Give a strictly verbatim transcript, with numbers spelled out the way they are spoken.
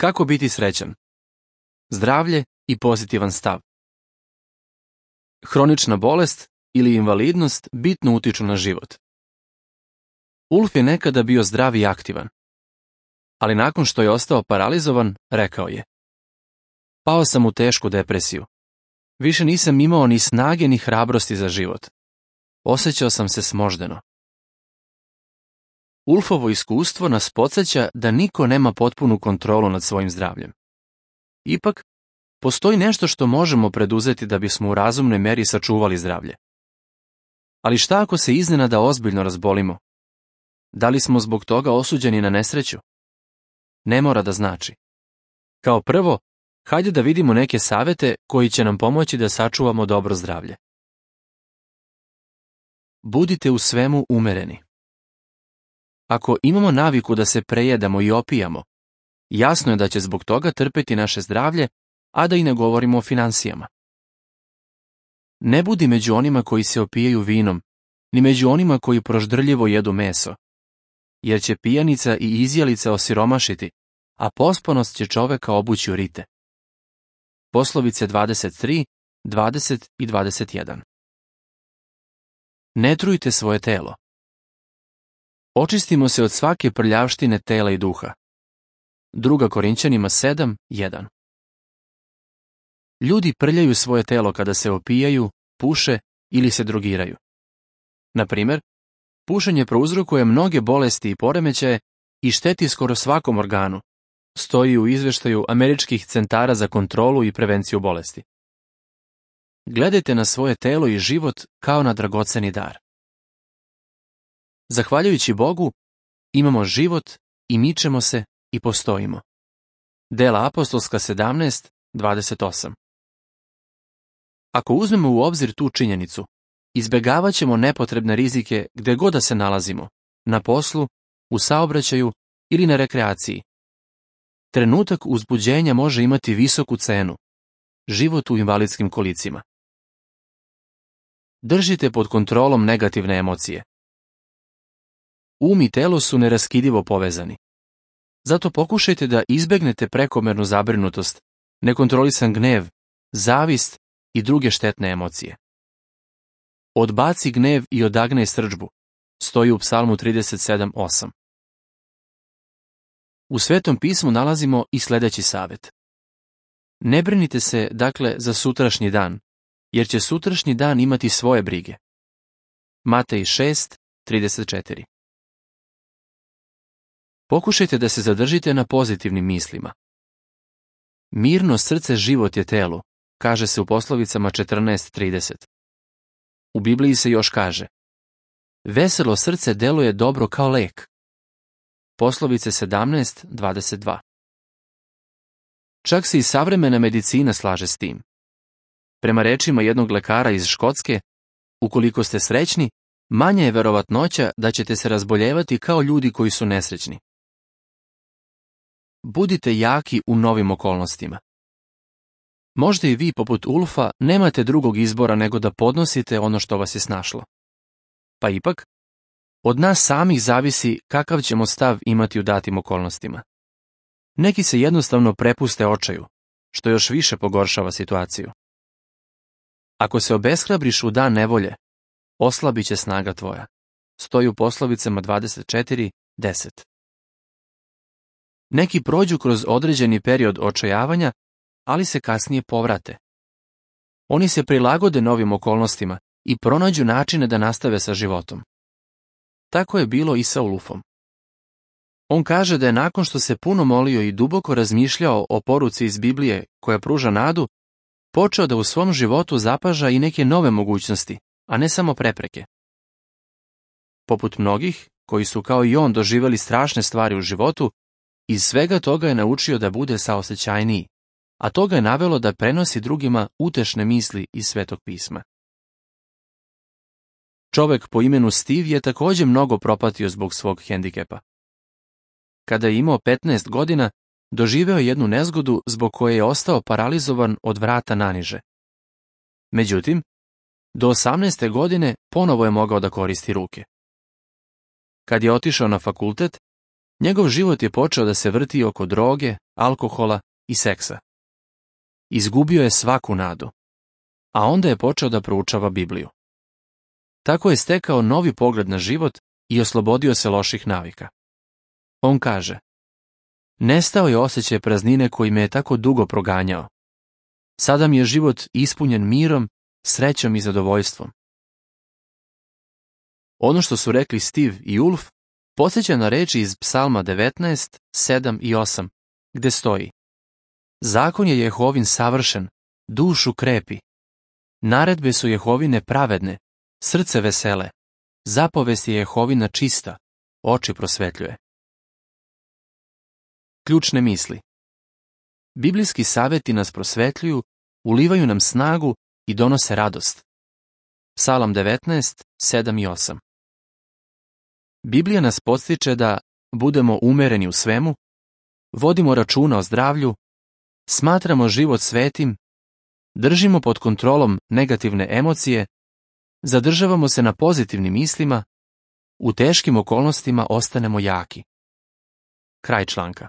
Kako biti srećan? Zdravlje i pozitivan stav. Hronična bolest ili invalidnost bitno utiču na život. Ulf je nekada bio zdrav i aktivan, ali nakon što je ostao paralizovan, rekao je: Pao sam u tešku depresiju. Više nisam imao ni snage ni hrabrosti za život. Osjećao sam se smoždeno. Ulfovo iskustvo nas podsjeća da niko nema potpunu kontrolu nad svojim zdravljem. Ipak, postoji nešto što možemo preduzeti da bismo u razumnoj meri sačuvali zdravlje. Ali šta ako se iznenada ozbiljno razbolimo? Da li smo zbog toga osuđeni na nesreću? Ne mora da znači. Kao prvo, hajde da vidimo neke savete koji će nam pomoći da sačuvamo dobro zdravlje. Budite u svemu umereni. Ako imamo naviku da se prejedamo i opijamo, jasno je da će zbog toga trpeti naše zdravlje, a da i ne govorimo o finansijama. Ne budi među onima koji se opijaju vinom, ni među onima koji proždrljivo jedu meso, jer će pijanica i izjelica osiromašiti, a pospanost će čoveka obući u rite. Poslovice dvadeset tri, dvadeset i dvadeset jedan. Ne trujte svoje telo. Očistimo se od svake prljavštine tela i duha. Druga Korinćanima sedam, jedan. Ljudi prljaju svoje telo kada se opijaju, puše ili se drogiraju. Na primjer, pušenje prouzrokuje mnoge bolesti i poremećaje i šteti skoro svakom organu, stoji u izveštaju američkih centara za kontrolu i prevenciju bolesti. Gledajte na svoje telo i život kao na dragoceni dar. Zahvaljujući Bogu, imamo život i mičemo se i postojimo. Dela apostolska sedamnaest, dvadeset osam. Ako uzmemo u obzir tu činjenicu, izbjegavat ćemo nepotrebne rizike gde god da se nalazimo, na poslu, u saobraćaju ili na rekreaciji. Trenutak uzbuđenja može imati visoku cenu, život u invalidskim kolicima. Držite pod kontrolom negativne emocije. Um i telo su neraskidivo povezani. Zato pokušajte da izbegnete prekomernu zabrinutost, nekontrolisan gnev, zavist i druge štetne emocije. Odbaci gnev i odagnaj srdžbu, stoji u Psalmu trideset sedam, osam. U Svetom pismu nalazimo i sljedeći savjet. Ne brinite se, dakle, za sutrašnji dan, jer će sutrašnji dan imati svoje brige. Matej šest, trideset četiri. Pokušajte da se zadržite na pozitivnim mislima. Mirno srce život je telu, kaže se u poslovicama četrnaest, trideset. U Bibliji se još kaže: veselo srce deluje dobro kao lek. Poslovice sedamnaest, dvadeset dva. Čak se i savremena medicina slaže s tim. Prema rečima jednog lekara iz Škotske, ukoliko ste srećni, manja je verovatnoća da ćete se razboljevati kao ljudi koji su nesrećni. Budite jaki u novim okolnostima. Možda i vi, poput Ulfa, nemate drugog izbora nego da podnosite ono što vas je snašlo. Pa ipak, od nas samih zavisi kakav ćemo stav imati u datim okolnostima. Neki se jednostavno prepuste očaju, što još više pogoršava situaciju. Ako se obeshrabriš u dan nevolje, oslabit će snaga tvoja. Stoji u poslovicama dvadeset četiri, deset. Neki prođu kroz određeni period očajavanja, ali se kasnije povrate. Oni se prilagode novim okolnostima i pronađu načine da nastave sa životom. Tako je bilo i sa Ulfom. On kaže da je nakon što se puno molio i duboko razmišljao o poruci iz Biblije koja pruža nadu, počeo da u svom životu zapaža i neke nove mogućnosti, a ne samo prepreke. Poput mnogih, koji su kao i on doživjeli strašne stvari u životu, iz svega toga je naučio da bude saosećajniji, a to ga je navelo da prenosi drugima utešne misli iz Svetog pisma. Čovek po imenu Steve je također mnogo propatio zbog svog hendikepa. Kada je imao petnaest godina, doživeo je jednu nezgodu zbog koje je ostao paralizovan od vrata naniže. Međutim, do osamnaeste godine ponovo je mogao da koristi ruke. Kad je otišao na fakultet, Njegov život je počeo da se vrti oko droge, alkohola i seksa. Izgubio je svaku nadu, a onda je počeo da proučava Bibliju. Tako je stekao novi pogled na život i oslobodio se loših navika. On kaže: nestao je osjećaj praznine koji me je tako dugo proganjao. Sada mi je život ispunjen mirom, srećom i zadovoljstvom. Ono što su rekli Steve i Ulf podsjeća na reči iz Psalma devetnaest, sedam i osam, gde stoji: zakon je Jehovin savršen, dušu krepi. Naredbe su Jehovine pravedne, srce vesele. Zapovest je Jehovina čista, oči prosvetljuje. Ključne misli. Biblijski savjeti nas prosvetljuju, ulivaju nam snagu i donose radost. Psalam devetnaest, sedam i osam. Biblija nas podstiče da budemo umereni u svemu, vodimo računa o zdravlju, smatramo život svetim, držimo pod kontrolom negativne emocije, zadržavamo se na pozitivnim mislima, u teškim okolnostima ostanemo jaki. Kraj članka.